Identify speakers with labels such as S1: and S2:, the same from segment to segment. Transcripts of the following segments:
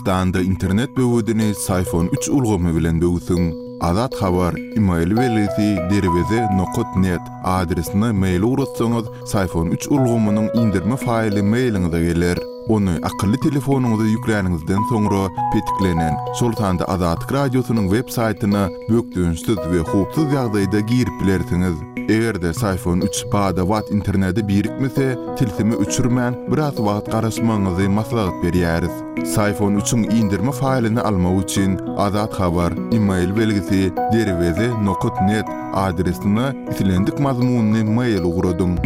S1: Türkmenistanda internet böwedini Syfon üç ulgamy bilen böwsüň. Azat Habar, email belgisi derweze nokat net adresine mail ugratsaňyz Syfon üç ulgamynyň indirme faýly mailiňize geler. Ony akylly telefonyňyza ýükläniňizden soňra petiklenen, şol sanda Azatlyk Radiosynyň web saýtyna bökdençsiz we howpsuz ýagdaýda girip bilersiňiz. Eger-de Syfon üç bada-bat internete birikmese, tilsimi öçürmän, biraz wagt garaşmagyňyzy maslahat berýäris. Syfon üçiň indirme faýlyny almak üçin Azat Habar, email belgisi, derweze nokat net adresine islendik mazmunly mail ugradyň.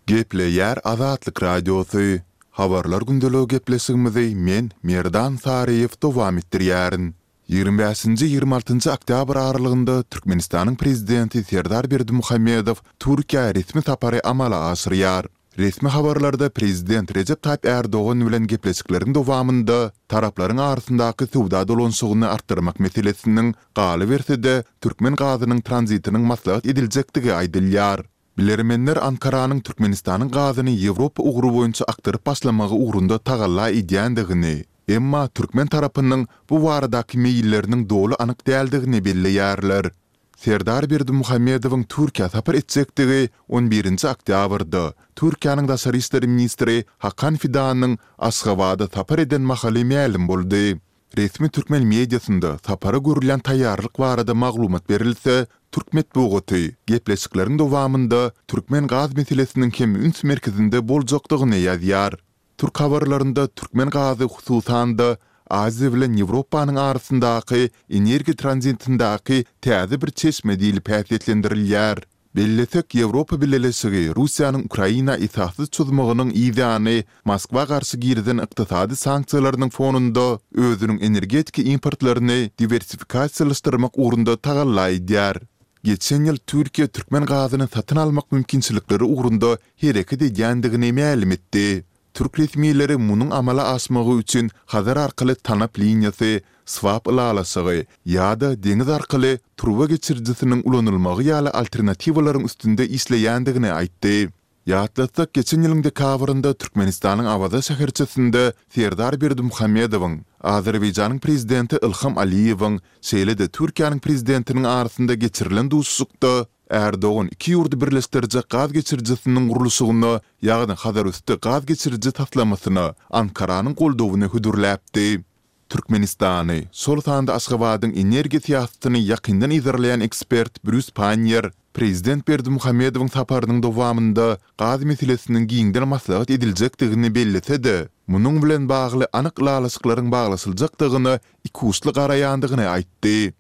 S1: Gepleýär Azatlyk Radiosy, Habarlar gündeligi gepleşigimizi men, Merdan Saryýew dowam etdirýärin. Ýigrimi bäşinji, ýigrimi altynjy oktýabr aralygynda Türkmenistanyň Prezidenti Serdar Berdimuhamedow Türkiýä resmi sapary amala aşyrýar. Resmi habarlarda Prezident Rejep Taýyp Ärdogan bilen gepleşikleriň dowamynda taraplaryň arasyndaky söwda dolanyşygyny artdyrmak meselesiniň, galyberse-de, türkmen gazynyň tranzitiniň maslahat ediljekdigi aýdylýar. Bilermenler Ankaranyň Türkmenistanyň gazyny Ýewropa ugry boýunça akdyryp başlamagy ugrunda tagalla edýändigini, emma türkmen tarapynyň bu baradaky meýilleriniň doly anyk däldigini belleýärler. Serdar Berdimuhamedowyň Türkiýä sapar etjekdigi on birinji oktýabrda, Türkiýäniň daşary işler ministri Hakan Fidanyň Aşgabada sapar eden mahaly mälim boldy. Resmi türkmen mediasynda sapara görülýän taýýarlyk barada maglumat berilse, türk metbugaty gepleşikleriň dowamynda türkmen gaz meselesiniň hem üns merkezinde boljakdygyny ýazýar. Türk habarlarynda türkmen gazy hususan-da Aziýa bilen Ýewropanyň arasyndaky energiýa tranzitindäki täze bir çeşme diýlip häsiýetlendirilýär. Bellesek, Ýewropa Bileleşigi Russiýanyň Ukraina esassyz çozmagynyň yzýany Moskwa garşy girizen ykdysady sanksiýalarynyň fonunda özüniň energetika importlaryny diwersifikasiýalaşdyrmak ugrunda tagalla edýär. Geçen ýyl Türkiýe türkmen gazyny satyn almak mümkinçilikleri ugrunda hereket edýändigini mälim etdi. Türk resmileri munuň amala aşmagy üçin Hazar arkaly tanap liniýasy, swap ylalaşygy ýa-da deňiz arkaly turba geçirijisiniň ulanylmagy ýaly alternatiwalaryň üstünde işleýändigini aýtdy. Ýatlatsak, geçen ýylyň dekabrynda Türkmenistanyň Awaza şäherçesinde Serdar Berdimuhamedowyň, Azerbaýjanyň Prezidenti Ilham Aliýewiň, şeýle-de Türkiýäniň Prezidentiniň arasynda geçirilen duşuşykda Ärdogan iki ýurdy birleşdirjek gaz geçirijisiniň gurluşygyna, ýagny Hazarüsti gaz geçiriji taslamasyna Ankaranyň goldawyny hödürläpdi. Türkmenistany, şol sanda Aşgabadyň energiýa syýasatyny ýakyndan yzarlaýan ekspert Brýus Panniýer prezident Berdimuhamedowyň saparynyň dowamynda gaz meselesiniň giňden maslahat ediljekdigini bellese-de, munuň bilen bagly anyk ylalaşyklaryň baglaşyljakdygyna ikuçly garaýandygyny aýtdy.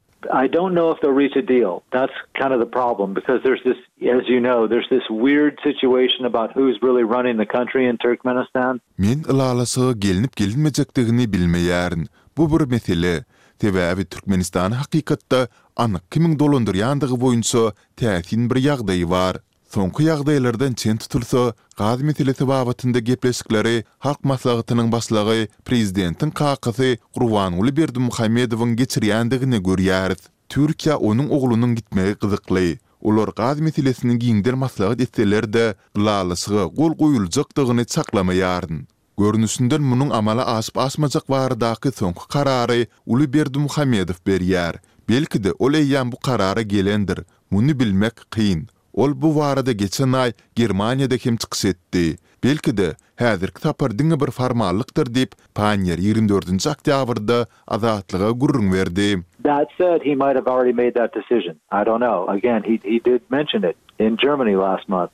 S2: I don't know if they'll reach a deal. That's kind of the problem because there's this, as you know, there's this weird situation about who's really running the country in Turkmenistan.
S1: Men ylalaşyga gelnip-gelinmejekdigini bilmeýärin. Bu bir mesele. Sebäbi Türkmenistany hakykatda anyk kimiň dolandyrýandygy boýunça täsin bir ýagdaý bar. Soňky ýagdaýlardan çen tutulsa, gaz meselesi babatynda gepleşikleri Halk Maslahatynyň Başlygy, prezidentiň kakasy Gurbanguly Berdimuhamedowyň geçirýändigini görýäris. Türkiýä onuň oglunyň gitmegi gyzykly. Olar gaz meselesini giňden maslahat etseler-de, ylalaşyga gol goýuljakdygyny çaklamaýaryn. Görnüşinden munuň amala aşyp-aşmajak baradaky soňky karary uly Berdimuhamedow berýär. Belki-de ol eýýäm bu karara gelendir. Muny bilmek kyn. Ol bu barada geçen aý Germaniýada hem çykyş etdi. Belki-de, häzirki sapar diňe bir formallykdyr diýip, Panniýer ýigrimi dördünji oktýabrda Azatlyga gürrüň berdi.
S2: That said, he might have already made that decision. I don't know. Again, he he did mention it in Germany last month.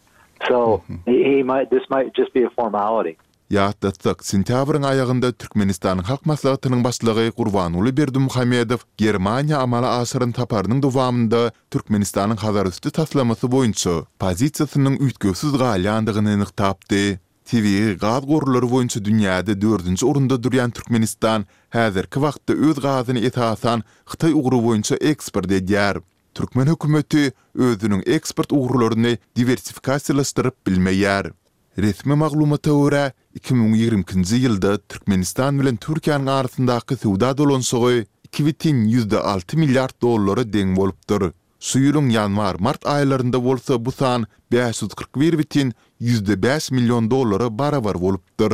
S2: So, he might, this might just be a formality.
S1: Ýatlatsak, sentýabryň aýagynda Türkmenistanyň Halk Maslahatynyň Başlygy Gurbanguly Berdimuhamedow Germaniýa amala aşyran saparynyň dowamynda Türkmenistanyň Hazarüsti taslamasy boýunça pozisiýasynyň üýtgewsiz galýandygyny nygtapdy. Tebigy gaz gorlary boýunça dünýäde dördünji orunda durýan Türkmenistan häzirki wagtda öz gazyny esasan Hytaý ugry boýunça eksport edýär. Türkmen hökümeti özüniň eksport ugurlaryny diwersifikasiýalaşdyryp bilmeýär. Resmi maglumata görä, 2022-nji ýylda Türkmenistan bilen Türkiýäniň arasyndaky söwda dolanyşygy 2,6 milliard dollara deň bolupdyr. Şu ýylyň ýanwar-mart aýlarynda bolsa bu san 541,5 million dollara barabar bolupdyr.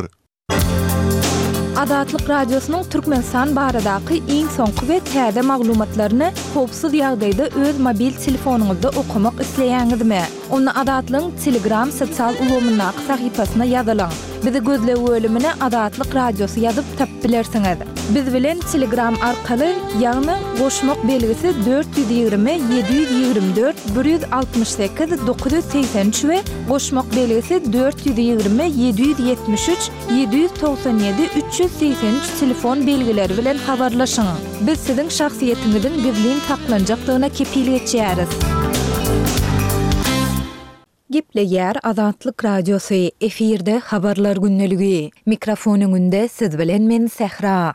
S3: Azatlyk Radiosynyň Türkmenistan baradaky iň soňky we täze maglumatlaryny howpsuz ýagdaýda öz mobil telefonyňyzda okamak isleýäňizmi? Onda Azatlygyň Telegram sosial ulgamyndaky sahypasyna ýazylyň. Bizi gözleg bölümine Azatlyk Radiosy ýazyp tapyp bilersiňiz. Biz bilen Telegram arkaly, ýagny goşmak belgisi 420 724 168 983 we goşmak belgisi 420 773 797 383 telefon belgileri bilen habarlaşyň. Biz siziň şahsyýetiňiziň gizlin saklanjakdygyna kepil geçýäris. Gepleýär Azatlyk Radiosy, efirde Habarlar gündeligi. Mikrofon öňünde siz bilen men Sähra.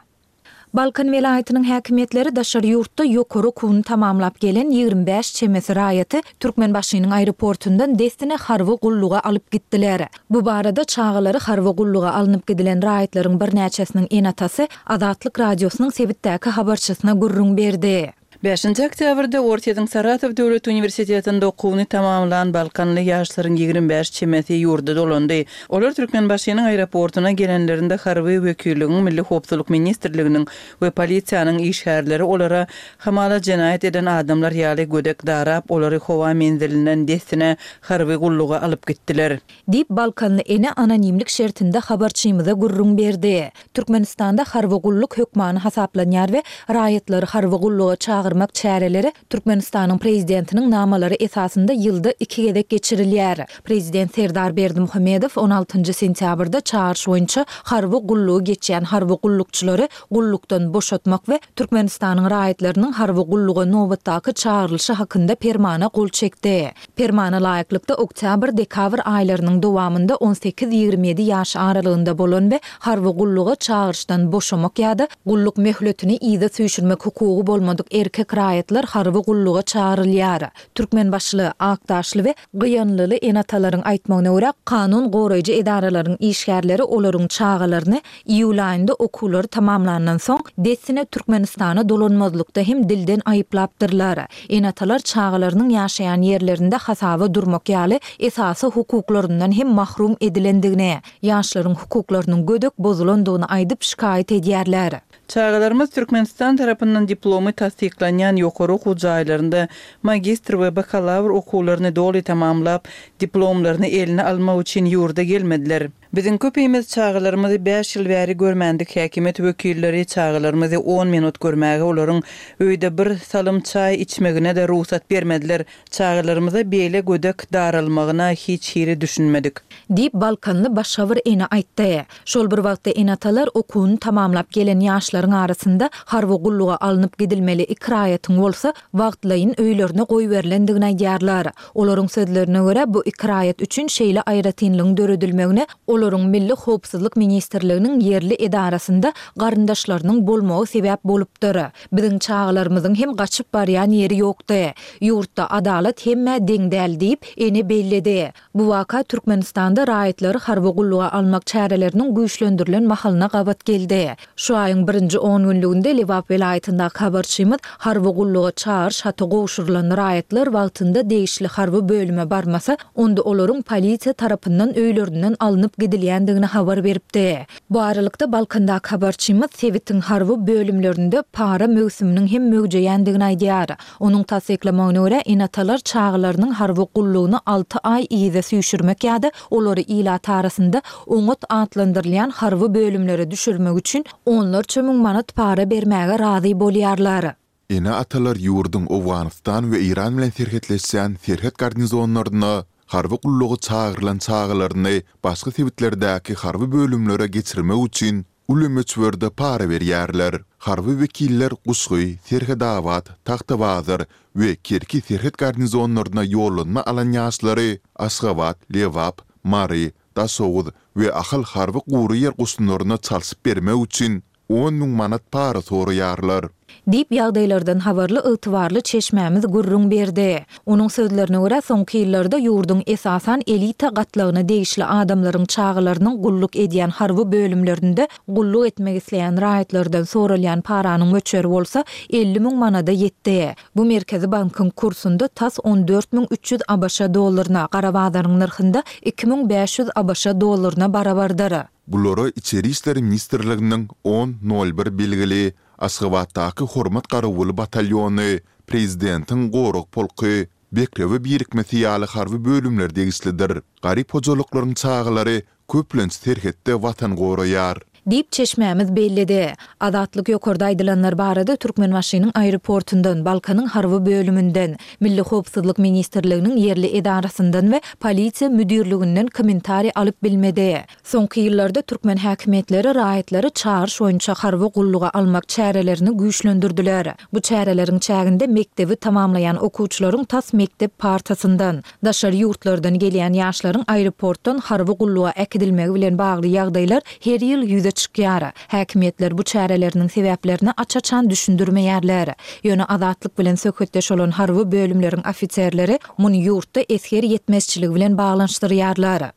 S3: Balkan welaýatynyň häkimiýetleri daşary ýurtda ýokary okuwyny tamamlap gelen 25 çemesi raýaty Türkmenbaşynyň aeroportundan dessine harby gulluga alyp gitdiler. Bu barada çagalary harby gulluga alnyp gidilen raýatlaryň birnäçesiniň ene-atasy Azatlyk Radiosynyň sebitdäki habarçysyna gürrüň berdi.
S4: Bäşinji oktýabrda Orsýetiň Saratow döwlet uniwersitetinde okuwyny tamamlan balkanly ýaşlaryň 25 çemesi ýurda dolandy. Olar Türkmenbaşynyň aeroportuna gelenlerinde harby wekilligiň, Milli howpsuzlyk ministrliginiň we polisiýanyň işgärleri olara hamala jenaýat eden adamlar ýaly gödek darap, olary howa menzilinden dessine harby gulluga alyp gitdiler.
S3: Diýip, balkanly ene anonimlik şertinde habarçymyza gürrüň berdi. Türkmenistanda harby gulluk hökmany hasaplanýar we raýatlary harby gulluga çagyrmak çäreleri Türkmenistanyň Prezidentiniň namalary esasynda ýylda iki gezek geçirilýär. Prezident Serdar Berdimuhamedow on altynjy sentýabrda çagyryş boýunça harby gullugy geçýän harby gullukçylary gullukdan boşatmak we Türkmenistanyň raýatlarynyň harby gulluga nobatdaky çagyrylyşy hakynda Permana gol çekdi. Permana laýyklykda, oktýabr-dekabr aýlarynyň dowamynda on sekiz-ýigrimi ýedi ýaş aralygynda bolan we harby gulluga çagyryşdan boşamak ýa-da gulluk möhletini yza süýşürmek hukugy bolmadyk erkek raýatlar harby gulluga çagyrylýar. Türkmenbaşyly, akdaşly we gyýanlyly ene-atalaryň aýtmagyna görä, kanun goraýjy edaralaryň işgärleri olaryň çagalaryny Iýul aýynda okuwlary tamamlandan soň, dessine Türkmenistana dolanmazlykda hem dilden aýyplapdyrlar. Ene-atalar çagalarynyň ýaşaýan ýerlerinde hasaba durmak ýaly esasy hukuklaryndan hem mahrum edilendigini, ýaşlaryň hukuklarynyň gödek bozulandygyny aýdyp şikaýat edýärler.
S4: Çagalarymyz Türkmenistan tarapyndan diplomy tassyklanýan ýokary okuw jaýlarynda magistr we bakalawr okuwlaryny doly tamamlap, diplomlaryny eline almak üçin ýurda gelmediler. Biziň köpimiz çagalarymyzy bäş ýyl bäri görmändik häkimiýet wekilleri çagalarymyzy on minut görmäge olaryň öýde bir salym çaý içmegine-de rugsat bermediler. Çagalarymyza beýle gödek daralmagyna hiç hili düşünmedik.
S3: Diýip, balkanly başga bir ene aýtdy. Şol bir wagtda ene-atalar okuwyny tamamlap gelen ýaşlaryň arasynda harby gulluga alnyp gidilmeli iki raýatyň bolsa wagtlaýyn öýlerine goýberilendigini aýdýarlar. Olaryň sözlerine görä, bu iki raýat üçin şeýle aýratynlygyň döredilmegine olaryň Milli howpsuzlyk ministrliginiň ýerli edarasynda garyndaşlarynyň bolmagy sebäp bolupdyr. Biziň çagalarymyzyň hem gaçyp barýan ýeri ýokdy. Ýurtda adalat hemmä deň däl diýip, ene belledi. Bu waka Türkmenistanda raýatlary harby gulluga almak çäreleriniň güýçlendirilen mahalyna gabat geldi. Şu aýyň birinji on günlüginde Lebap welaýatyndaky habarçymyz harby gulluga çagyryş haty gowşurylan raýatlar wagtynda degişli harby bölüme barmasa, onda olaryň polisiýa tarapyndan öýlerinden alnyp gidilýändigini habar beripdi. Bu aralykda, Balkandaky habarçymyz sebitiň harby bölümlerinde para möwsüminiň hem möwjeýändigini aýdýar. Onuň tassyklamagyna görä, ene-atalar çagalarynyň harby gullugyny alty aý yza süýşürmek ýa-da olary ilat arasynda oňat atlandyrylýan harby bölümlere düşürmek üçin onlarça müň manat para bermäge razy bolýarlar.
S1: Ene-atalar ýurduň Owganystan we Eýran bilen serhetleşýän serhet garnizonlaryna harby gulluga çagyrylan çagalaryny başga sebitlerdäki harby bölümlere geçirmek üçin uly möçberde para berýärler. Harby wekiller Guşgy, Serhetabat, Tagtabazar we Kerki serhet garnizonlaryna ýollanma alan ýaşlary Aşgabat, Lebap, Mary, Daşoguz we Ahal harby gury ýer goşunlaryna çalşyp bermek üçin. 10 000 manat para soraýarlar.
S3: Diýip, ýagdaýlardan habarly ygtybarly çeşmämiz gürrüň berdi. Onuň sözlerine görä, soňky ýyllarda ýurduň esasan elita gatlagyna degişli adamlaryň çagalarynyň gulluk edýän harby bölümlerinde gulluk etmek isleýän raýatlardan soralýan paranyň möçberi bolsa 50 000 manada ýetdi. Bu Merkezi bankyň kursunda tas 14 300 ABŞ dollaryna, gara bazaryň nyrhynda 2500 ABŞ dollaryna barabardyr.
S1: Bulara Içeri işler ministrliginiň on, nol bir belgili Aşgabatdaky Hormat garawuly batalýony, Prezidentiň gorag polky, Bekrewe birikmesi ýaly harby bölümler degişlidir. Garyp hojalyklaryň çagalary köplenç serhetde Watan goraýar.
S3: Diýip, çeşmämiz belledi. Azatlyk ýokarda aýdylanlar barada Türkmenbaşynyň aeroportundan, Balkanyň harby bölüminden, Milli howpsuzlyk ministrliginiň ýerli edarasyndan we polisiýa müdirliginden kommentariý alyp bilmedi. Soňky ýyllarda türkmen häkimiýetleri raýatlary çagyryş boýunça harby gulluga almak çärelerini güýçlendirdiler. Bu çäreleriň çäginde mekdebi tamamlaýan okuwçylaryň tas mekdep partasyndan, daşary ýurtlardan gelýän ýaşlaryň aeroportdan harby gulluga äkidilmegi bilen bagly ýagdaýlar her ýyl ýüze çykýar. Häkimiýetler bu çäreleriniň sebäplerini aç-açan düşündirmeýärler. Ýöne Azatlyk bilen söhbetdeş bolan harby bölümleriň ofiserleri muny ýurtda esger ýetmezçiligi bilen baglanyşdyrýarlar.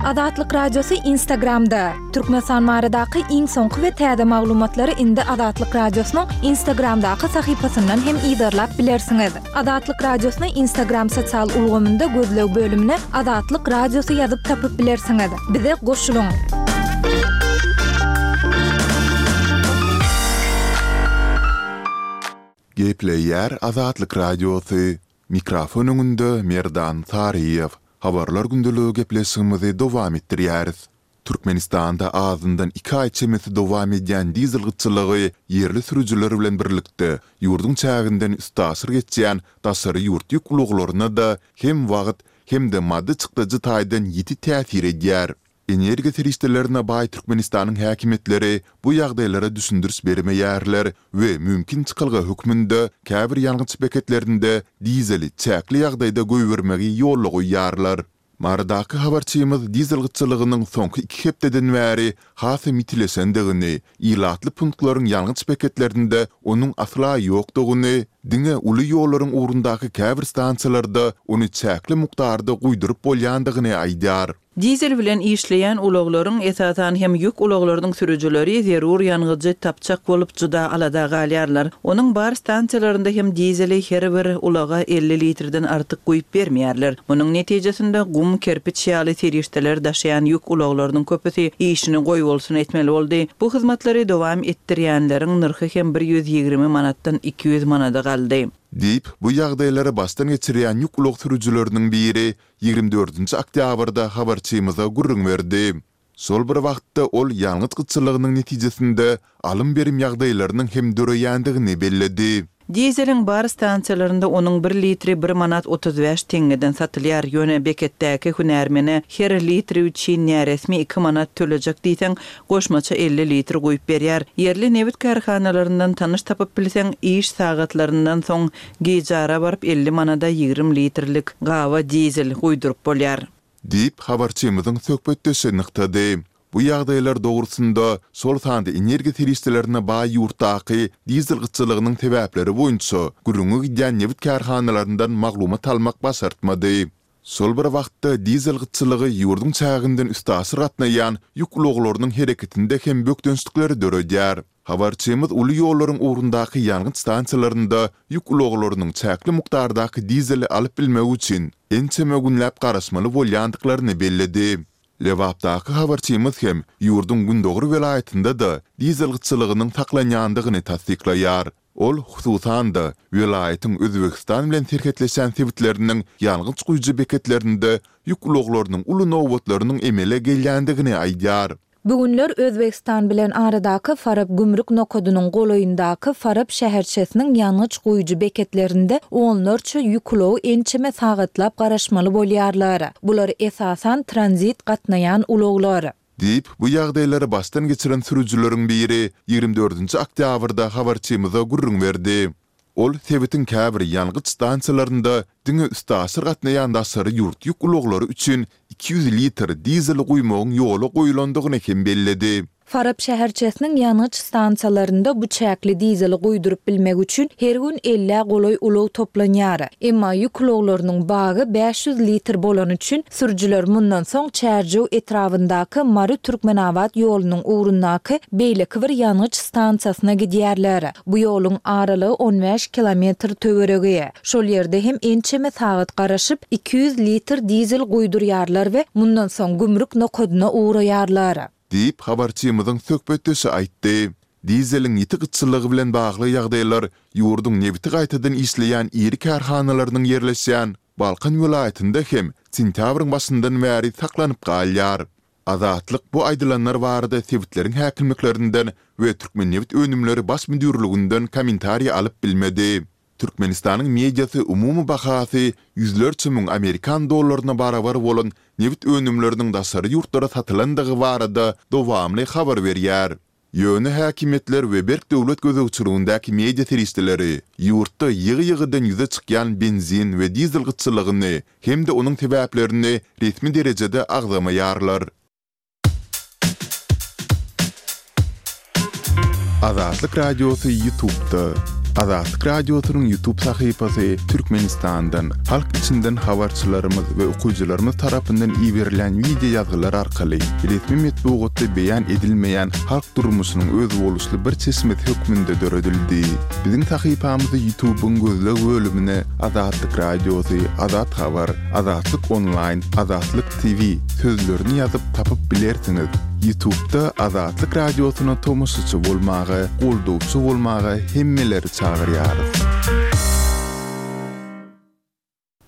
S3: Azatlyk Radiosy Instagramda, Türkmenistan baradaky iň soňky we täze maglumatlary indi Azatlyk Radiosynyň Instagramdaky sahypasyndan hem yzarlap bilersiňiz. Azatlyk Radiosyny Instagram sosial ulgamynda gözleg bölümine Azatlyk Radiosy ýazyp tapyp bilersiňiz. Bize goşulyň!
S1: Gepleýär Azatlyk Radiosy, Mikrofon öňünde Merdan Saryýew. Habarlar gündeligi gepleşigimizi dowam etdirýäris. Türkmenistanda azyndan iki aý çemesi dowam edýän dizel gytçylygy ýerli sürüjiler bilen birlikde, ýurduň çäginden üstaşyr geçýän daşary ýurt ýük ulaglaryna-da hem wagt, hem-de maddy çykdajy taýdan ýiti täsir edýär. Energiýa serişdelerine baý Türkmenistanyň häkimiýetleri bu ýagdaýlara düşündiriş bermeýärler we mümkin çykalga hökmünde käbir ýangyç beketlerinde dizeli çäkli ýagdaýda goýbermegi ýola goýýarlar. Marydaky habarçymyz dizel gytçylygynyň soňky iki hepdeden bäri hasam ýitileşendigini, ilatly punktlaryň ýangyç beketlerinde onuň asla ýokdugyny, diňe uly ýollaryň ugrundaky käbir stansiýalarda ony çäkli mukdarda guýduryp bolýandygyny aýdýar.
S4: Dizel bilen işleýän ulaglaryň, esasan hem ýük ulaglarynyň sürüjileri zerur ýangyjy tapjak bolup juda alada galýarlar. Onuň bar stansiýalarynda hem dizeli her bir ulaga 50 litrden artyk guýup bermeýärler. Munuň netijesinde gum, kerpiç ýaly serişdeler daşaýan ýük ulaglarynyň köpüsi işini goýbolsun etmeli boldy. Bu hyzmatlary dowam etdirýänleriň nyrhy hem 120 manatdan 200 manada galdy.
S1: Diýip, bu ýagdaýlary başdan geçirýän ýük ulag sürüjileriniň biri 24-nji oktýabrda habarçymyza gürrüň berdi. Şol bir wagtda ol ýangyç gytçylygynyň netijesinde alym-berim ýagdaýlarynyň hem döreýändigini belledi.
S4: Dizeliň bar stansiýalarynda onuň bir litri bir manat 35 teňňeden satylýar, ýöne beketdäki hünärmene her litri üçin näresmi iki manat tölejek diýseň, goşmaça 50 litr guýup berýär. Ýerli nebit kärhanalaryndan tanyş tapyp bilseň, iş sagatlaryndan soň Gijara baryp 50 manada 20 litrlik gaba dizel guýduryp bolýar.
S1: Diýip, habarçymyzyň söhbetdeşi nygtady. Bu ýagdaýlar dogrusynda, şol sanda energiýa serişdelerine baý ýurtdaky dizel gytçylygynyň sebäpleri boýunça gürrüňi gidýän nebit kärhanalaryndan maglumat almak başartmady. Şol bir wagtda, dizel gytçylygy ýurduň çäginden üstaşyr gatnaýan ýük ulaglarynyň hereketinde hem bökdençlikleri döredýär. Habarçymyz uly ýollaryň ugrundaky ýangyç stansiýalarynda ýük ulaglarynyň çäkli mukdardaky dizeli alyp bilmegi üçin ençeme günläp garaşmaly bolýandyklaryny belledi. Lebapdaky habarçymyz hem ýurduň gündogar welaýatynda-da dizel gytçylygynyň saklanýandygyny tassyklaýar. Ol, hususan-da, welaýatyň Özbegistan bilen serhetleşýän sebitleriniň ýangyç guýujy beketlerinde ýük ulaglarynyň uly nobatlarynyň emele gelýändigini aýdýar.
S3: Bu günler Özbegistan bilen aradaky Farap gümrük nokadynyň golaýyndaky Farap şäherçesiniň ýangyç guýujy beketlerinde onlarça ýük ulagy ençeme sagatlap garaşmaly bolýarlar. Bular esasan tranzit gatnaýan ulaglar.
S1: Diýip, bu ýagdaýlary başdan geçiren sürüjileriň biri 24-nji oktýabrda habarçymyza gürrüň berdi. Ol sebitiň käbir ýangyç stansiýalarynda diňe üstaşyr gatnaýan daşary ýurt ýük ulaglary üçin 200 litr dizeli guýmagyň ýola goýulandygyny hem belledi.
S3: Farap şäherçesiniň ýangyç stansiýalarynda bu çäkli dizeli guýduryp bilmek üçin her gün ellä golaý ulag toplanýar. Emma ýük ulaglarynyň bagy 500 litr bolany üçin, sürüjiler mundan soň Çärjew etrabyndaky Mary-Türkmenabat ýolunyň ugrundaky beýleki bir ýangyç stansiýasyna gidýärler. Bu ýoluň aralygy on bäş kilometr töweregi. Şol ýerde hem ençeme sagat garaşyp, 200 litr dizel guýdurýarlar we mundan soň gümrük nokadyna ugraýarlar.
S1: Diýip, habarçymyzyň söhbetdeşi aýtdy. Dizeliň ýiti gytçylygy bilen bagly ýagdaýlar ýurduň nebiti gaýtadan işleýän iri kärhanalarynyň ýerleşýän Balkan welaýatynda hem sentýabryň başyndan bäri saklanyp galýar. Azatlyk bu aýdylanlar barada sebitleriň häkimliklerinden we Türkmennebitönümleri baş müdirliginden kommentariý alyp bilmedi. Türkmenistanyň mediasy umumy bahasy ýüzlerçe müň amerikan dollaryna barabar bolan nebit önümleriniň daşary ýurtlara satylandygy barada dowamly habar berýär. Ýöne häkimiýetler we berk döwlet gözegçiligindäki media serişdeleri ýurtda ýygy-ýygydan ýüze çykýan benzin we dizel gytçylygyny hem-de onuň sebäplerini resmi derejede agzamaýarlar. Azatlyk Radiosy Ýutubda. Azatlyk Radiosynyň Ýutub sahypasy Türkmenistandan, halk içinden habarçylarymyz we okyjylarymyz tarapyndan iberilýän wideo ýazgylar arkaly resmi metbugatda beýan edilmeýän halk durmuşynyň özboluşly bir çeşmesi hökmünde döredildi. Biziň sahypamyzy Ýutubyň gözleg bölümine Azatlyk Radiosy, Azat Habar, Azatlyk Onlaýn, Azatlyk TV sözlerini ýazyp tapyp bilersiňiz. Ýutubda Azatlyk Radiosyna tomaşaçy bolmaga, goldawçy bolmaga hemmeleri çagyrýarys.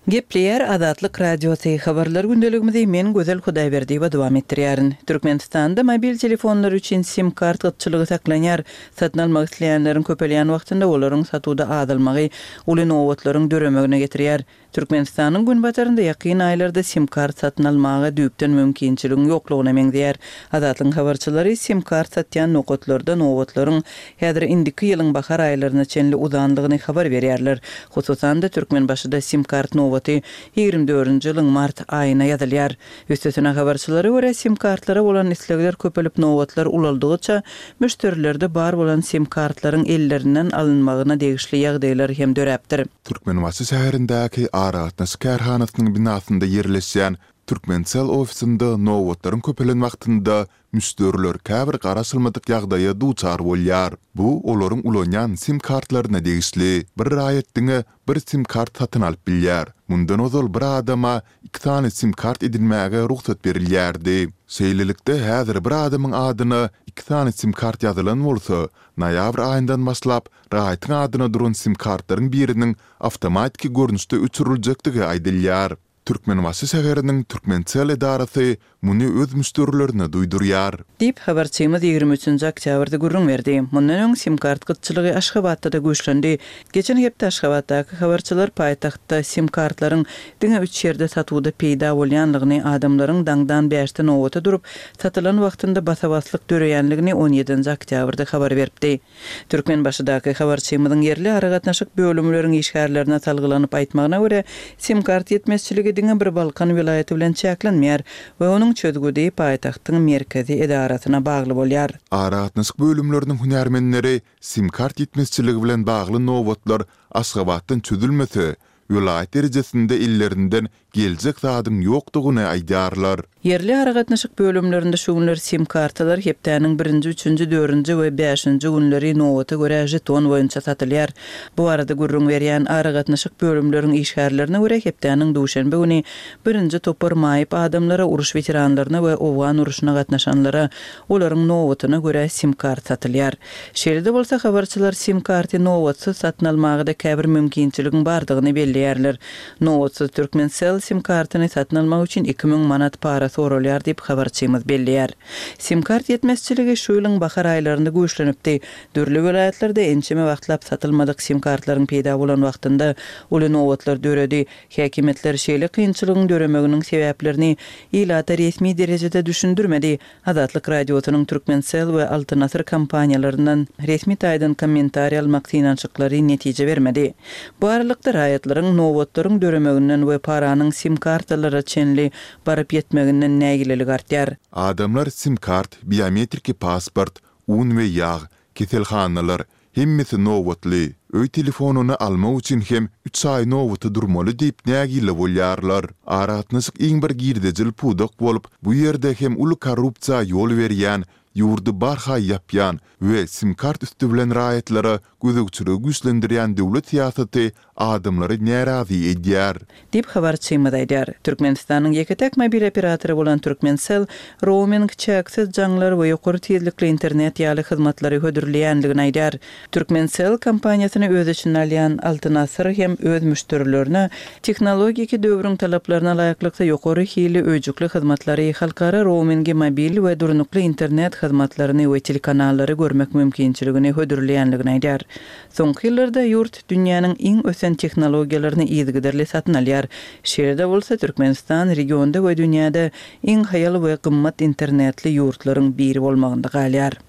S4: Gepleýär Azatlyk Radiosy, Habarlar gündeligimizi men Gözel Hudaýberdiýewa dowam etdirýärin. Türkmenistanda mobil telefonlar üçin sim kart gytçylygy saklanýar. Satyn almak isleýänleriň köpelýän wagtynda olaryň satuwda azalmagy uly nobatlaryň döremegine getirýär. Türkmenistanyň günbatarynda ýakyn aýlarda sim-kart satyn almaga düýpden mümkinçiligiň ýoklugyna meňzeýär. Azatlygyň habarçylary sim-kart satýan nokatlarda nobatlaryň häzir indiki ýylyň bahar aýlaryna çenli uzandygyny habar berýärler. Hususan-da, Türkmenbaşyda sim-kart nobaty 24-nji ýylyň mart aýyna ýazylýar. Üstesine, habarçylara görä, sim-kartlara bolan islegler köpelip, nobatlar ulaldygyça, müşderilerde bar bolan sim-kartlaryň ellerinden alynmagyna degişli ýagdaýlar hem döräpdir.
S1: Türkmenbaşy şäherindäki aragatnaşyk kärhanasynyň binasynda ýerleşýän Türkmencell ofisinde nobatlaryň köpelen wagtynda müşderiler käbir garaşylmadyk ýagdaýa duçar bolýar. Bu olaryň ulanýan sim kartlaryna degişli. Bir raýat diňe bir sim kart satyn alyp bilýär. Mundan ozal bir adama iki sany sim kart edinmäge rugsat berilýärdi. Şeýlelikde, häzir bir adamyň adyna iki sany sim kart ýazylan bolsa, noýabr aýyndan başlap Raýatyň adyna duran sim-kartlaryň biriniň awtomatiki görnüşde öçüriljekdigi aýdylýar. Türkmenbaşy şäheriniň Türkmencell edarasy muny öz müşderilerine duýdurýar.
S4: Diýip, habarçymyz 23 nji oktýabrda gürrüň berdi. Mundan öň sim-kart gytçylygy Aşgabatda-da güýçlendi. Geçen hepde Aşgabatdaky habarçylar paýtagtda sim-kartlaryň diňe üç ýerde satuwda peýda bolýanlygyny, adamlaryň daňdan bäşde nobata durup, satylan wagtynda basa-baslyk döreýänligini on ýedinji oktýabrda habar beripdi. Türkmenbaşydaky habarçymyzyň ýerli aragatnaşyk bölümleriň işgärlerine salgylanyp aýtmagyna görä, sim-kart ýetmezçiligi diňe bir Balkan welaýaty bilen çäklenmeýär we onuň çözgüdi paýtagtyň merkezi edarasyna bagly bolýar.
S1: Aragatnaşyk bölümleriniň hünärmenleri sim-kart ýetmezçiligi bilen bagly nobatlar Aşgabatdan çözülmese, welaýat derejesinde ellerinden geljek zadyň ýokdugyny aýdýarlar.
S4: Ýerli aragatnaşyk bölümlerinde şu günler sim-kartalar hepdäniň birinji, üçünji, dördünji we bäşinji günleri nobata görä žeton boýunça satylýar. Bu barada gürrüň berýän aragatnaşyk bölümleriň işgärlerine görä hepdäniň duşenbe güni birinji topar maýyp adamlara, uruş weteranlaryna we owgan urşuna gatnaşanlara olaryň nobatyna görä sim-kart satylýar. Şeýle-de bolsa habarçylar sim-karty nobatsyz satyn almaga-da käbir mümkinçiligiň bardygyny belleýär. belleýärler. Nobatsyz Turkmencell sim kartyny satyn almak üçin 2000 manat para soralýar diýip, habarçymyz belleýär. Sim kart ýetmezçiligi şu ýylyň bahar aýlarynda güýçlenipdi. Dürli welaýatlarda ençeme wagtlap satylmadyk sim kartlaryň peýda bolan wagtynda uly nobatlar döredi. Häkimiýetler şeýle kynçylygyň döremeginiň sebäplerini ilata resmi derejede düşündirmedi. Azatlyk Radiosynyň Turkmencell we Altyn Asyr kompaniýalaryndan resmi taýdan kommentariý almak synanyşyklary netije bermedi. Bu aralykda, raýatlaryň nobatlaryň döremeginden we paranyň sim-kartalara çenli baryp ýetmeginden nägileligi artýar.
S1: Adamlar sim-kart, biometriki pasport, un we ýag, keselhanalar, hemmesi nobatly. Öý telefonyny almak üçin hem üç aý nobata durmaly diýip nägile bolýarlar. Aragatnaşyk iň bir girdejili pudak bolup, bu ýerde hem uly korrupsiýa ýol berýän, ýurdy barha ýapýan we sim-kart üsti bilen raýatlara gözegçiligi güýçlendirýän döwlet syýasaty adamlary närazy edýär.
S4: Diýip, habarçymyz aýdýar. Türkmenistanyň ýeke-täk mobil operatory bolan Turkmencell rouming, çäksiz jaňlar we ýokary tizlikli internet ýaly hyzmatlary hödürleýändigini aýdýar. Turkmencell kompaniýasyny öz içine alýan Altyn Asyr hem öz müşderilerine tehnologiki döwrüň talaplaryna laýyklykda ýokary hilli öýjükli hyzmatlary, halkara roumingi, mobil we durnukly internet hyzmatlaryny we telekanallary görmek mümkinçiligini hödürleýändigini aýdýar. Soňky ýyllarda ýurt dünýäniň iň ösen tehnologiýalaryny yzygiderli satyn alýar. Şeýle-de bolsa, Türkmenistan regionda we dünýäde iň haýal we gymmat internetli ýurtlaryň biri bolmagynda galýar.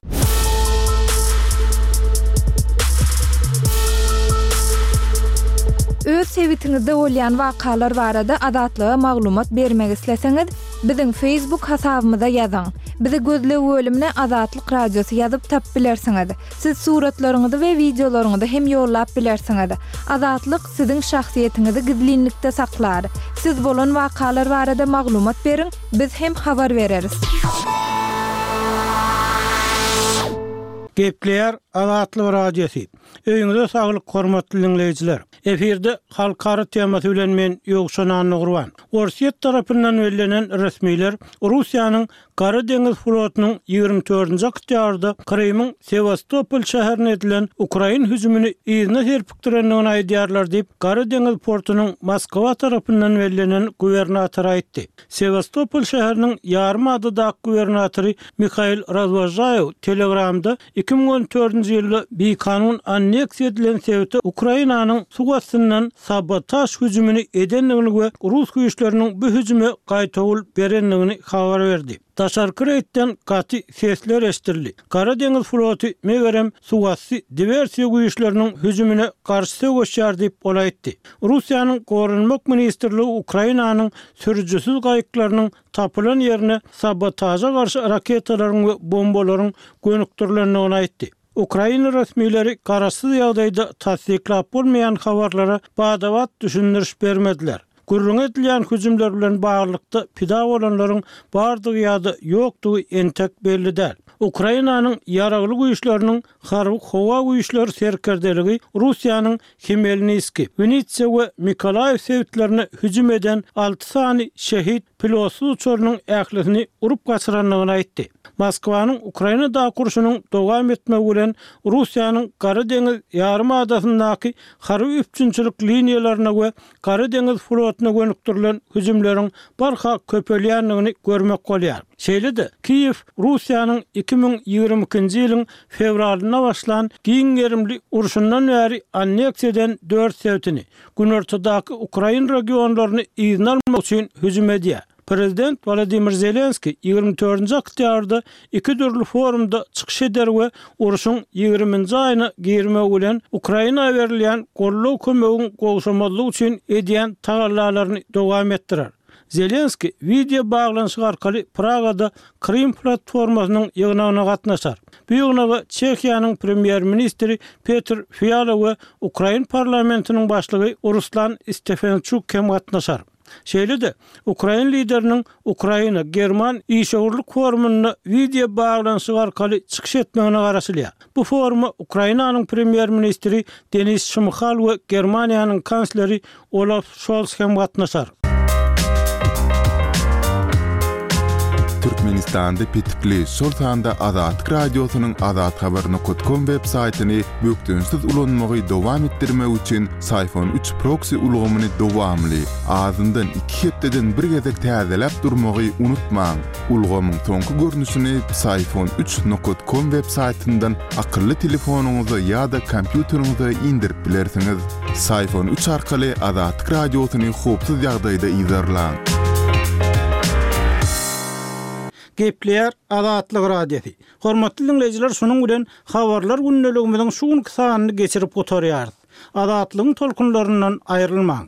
S3: Öz sebitiňizde bolýan wakalar barada Azatlyga maglumat bermek isleseňiz, biziň Facebook hasabymyza ýazyň. Bizi gözleg bölümine Azatlyk Radiosy ýazyp tapyp bilersiňiz. Siz suratlaryňyzy we wideolaryňyzy hem ýollap bilersiňiz. Azatlyk siziň şahsyýetiňizi gizlinlikde saklar. Siz bolan wakalar barada maglumat beriň, biz hem habar bereris.
S5: Gepleýär Azatlyk Radiosy. Öýüňize saglyk hormatly diňleýjiler. Efirde halkara temasy bilen men Ýowşan Annagurban. Orsýet tarapyndan bellenen resmiler Russiýanyň Gara deňiz flotunyň 24-nji oktýabrda Krymyň Sewastopol şäherine edilen ukrain hüjümini yzyna serpikdirendigini aýdýarlar diýip, Gara deňiz portunyň Moskwa tarapyndan bellenen gubernatory aýtdy. Sewastopol şäheriniň ýarym adadaky gubernatory Mihail Razwožaýew Telegramda 2014-nji ýylda bikanun anneksiýa edilen sebite Ukrainanyň suw astyndan sabotaž hüjümini edendigini we rus güýçleriniň bu hüjüme gaýtawul berendigini habar berdi. Daşarky reýdden gaty sesler eşidildi. Gara deňiz floty, megerem, suwasty diwersiýa güýçleriniň hüjümine garşy söweşýär diýip, ol aýtdy. Russiýanyň Goranmak ministrligi Ukrainanyň sürüjisiz gaýyklarynyň tapylan ýerine sabotaža garşy raketalaryň we bombalaryň gönükdirilendigini aýtdy. Ukraina resmileri garaşsyz ýagdaýda tassyklap bolmaýan habarlara bada-bat düşündiriş bermediler. Gürrüňi edilýän hüjümler bilen baglylykda pida bolanlaryň bardygy ýa-da ýokdugy entek belli däl. Ukrainanyň Ýaragly Güýçleriniň Harby-howa güýçleri serkerdeligi Russiýanyň Hmelniski, Winitsa we Mikolaýew sebitlerine hüjüm eden alty sany şehit pilotsyz uçarynyň ählisini urup gaçyrandygyny aýtdy. Moskwanyň Ukrainadaky urşunyň dowam etmegi bilen Russiýanyň Gara deňiz ýarym adasyndaky harby üpjünçilik liniýalaryna we Gara deňiz flotuna gönükdirilen hüjümleriň barha köpelýändigini görmek bolýar. Şeýle-de, Kiýew Russiýanyň 2022-nji ýylyň fewralynda başlan giň gerimli urşundan bäri anneksiýa eden dört sebitini, günortadaky ukrain regionlaryny yzyna almak üçin hüjüm edýär. Prezident Wolodymyr Zelenskiý 24-nji oktýabrda iki dürli forumda çykyş eder we urşuň ýigriminji aýyna girmegi bilen Ukraina berilýän goldaw-kömegiň gowşamazlygy üçin edýän tagallalaryny dowam etdirer. Zelenskiý wideo baglanyşyk arkaly Pragada Krym platformasynyň ýygnagyna gatnaşar. Bu ýygnaga Çehiýanyň premýer-ministri Petr Fiala we ukrain parlamentiniň başlygy Ruslan Stefençuk hem gatnaşar. Şeýle-de, ukrain lideriniň Ukraina, German işewürlik forumynda wideo baglanyşyk arkaly çykyş etmegine garaşylýar. Bu foruma Ukrainanyň premýer-ministri Denis Şmyhal we Germaniýanyň kansleri Olaf Şols hem gatnaşar.
S1: Türkmenistanda petikli, şol sanda Azatlyk Radiosynyň azathabar nokat kom web saýtyny bökdençsiz ulanmagy dowam etdirmek üçin Syfon üç proksi ulgamyny dowamly, azyndan iki hepdeden bir gezek täzeläp durmagy unutmaň. Ulgamyň soňky görnüşini Psiphon üç nokat kom web saýtyndan akylly telefonyňyza ýa-da kompýuteriňize indirip bilersiňiz. Psiphon üç arkaly Azatlyk Radiosyny howpsuz ýagdaýda yzarlaň.
S5: Gepleýär Azatlyk Radiosy. Hormatly diňleýjiler şunuň bilen Habarlar gündeligimiziň şu günki sanyny geçirip gutarýarys. Azatlygyň tolkunlaryndan aýrylmaň.